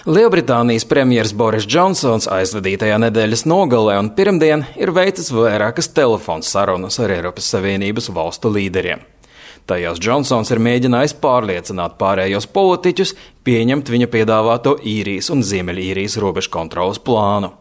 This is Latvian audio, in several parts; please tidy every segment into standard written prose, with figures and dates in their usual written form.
Lielbritānijas premjers Boris Džonsons aizvadītajā nedēļas nogalē un pirmdien ir veicis vairākas telefonu sarunas ar Eiropas Savienības valstu līderiem. Tajās Džonsons ir mēģinājis pārliecināt pārējos politiķus pieņemt viņa piedāvāto Īrijas un Ziemeļīrijas robežu kontroles plānu.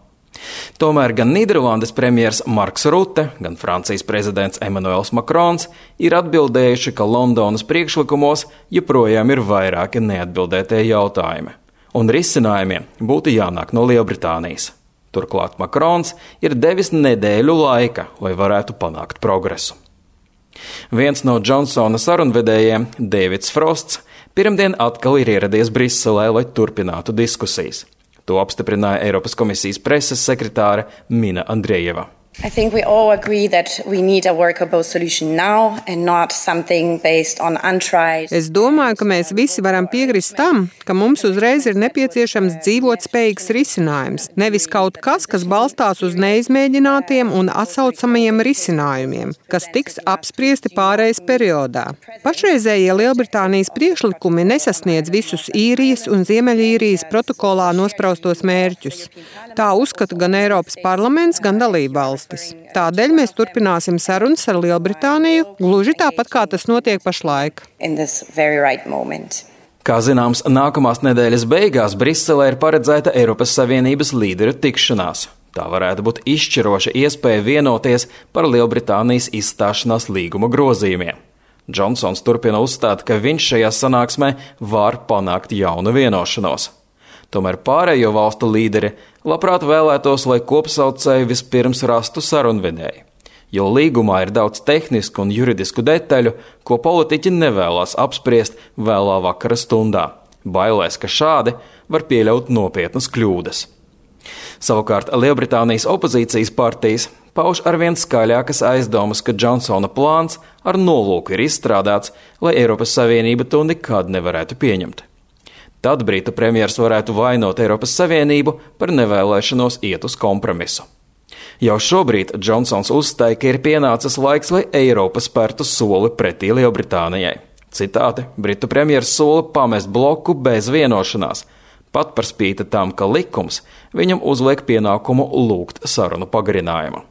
Tomēr gan Nīderlandes premjers Marks Rutte, gan Francijas prezidents Emmanuels Macrons ir atbildējuši, ka Londonas priekšlikumos joprojām ir vairāki neatbildētie jautājumi, un risinājumiem būtu jānāk no Lielbritānijas. Turklāt Macrons ir devis nedēļu laika, lai varētu panākt progresu. Viens no Džonsona sarunvedējiem, Deivids Frosts, pirmdien atkal ir ieradies Briselē, lai turpinātu diskusijas. To apstiprināja Eiropas komisijas preses sekretāre Mina Andrejeva. I think we all agree that we need a workable solution now and not something based on untried. Es domāju, ka mēs visi varam piekrist tam, ka mums uzreiz ir nepieciešams dzīvot spējīgs risinājums, nevis kaut kas, kas balstās uz neizmēģinātiem un atsaucamajiem risinājumiem, kas tiks apspriesti pārejas periodā. Pašreizējie Lielbritānijas priekšlikumi nesasniedz visus Īrijas un Ziemeļīrijas protokolā nospraustos mērķus. Tā uzskata gan Eiropas parlaments, gan dalībvalstis. Tādēļ mēs turpināsim sarunas ar Lielbritāniju, gluži tāpat kā tas notiek pašlaik. Kā zināms, nākamās nedēļas beigās Briselē ir paredzēta Eiropas Savienības līderu tikšanās. Tā varētu būt izšķiroša iespēja vienoties par Lielbritānijas izstāšanās līguma grozījumiem. Džonsons turpina uzstāt, ka viņš šajā sanāksmē var panākt jaunu vienošanos. Tomēr pārējo valstu līderi labprāt vēlētos, lai kopsaucēji vispirms rastu sarunvedēju, jo līgumā ir daudz tehnisku un juridisku detaļu, ko politiķi nevēlas apspriest vēlā vakara stundā, bailēs, ka šādi var pieļaut nopietnas kļūdas. Savukārt Lielbritānijas opozīcijas partijas pauž arvien skaļākas aizdomas, ka Džonsona plāns ar nolūku ir izstrādāts, lai Eiropas Savienība to nekad nevarētu pieņemt. Tad Britu premjers varētu vainot Eiropas Savienību par nevēlēšanos iet uz kompromisu. Jau šobrīd Džonsons uzstāja, ka ir pienācis laiks, lai Eiropa spērtu soli pretī Lielbritānijai. Citāti, Britu premjers sola pamest bloku bez vienošanās, pat par spīti tam, ka likums viņam uzliek pienākumu lūgt sarunu pagarinājumu.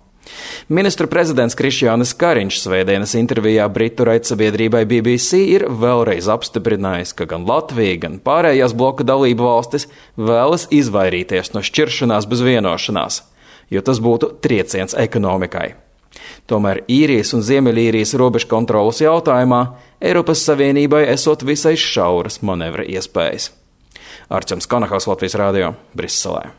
Ministru prezidents Krišjānis Kariņš svētdienas intervijā Britu raidsabiedrībai BBC ir vēlreiz apstiprinājis, ka gan Latvija, gan pārējās bloka dalību valstis vēlas izvairīties no šķiršanās bez vienošanās, jo tas būtu trieciens ekonomikai. Tomēr Īrijas un Ziemeļīrijas robežu kontrolas jautājumā Eiropas Savienībai esot visai šauras manevra iespējas. Arčuns Konahaus, Latvijas radio, Briselē.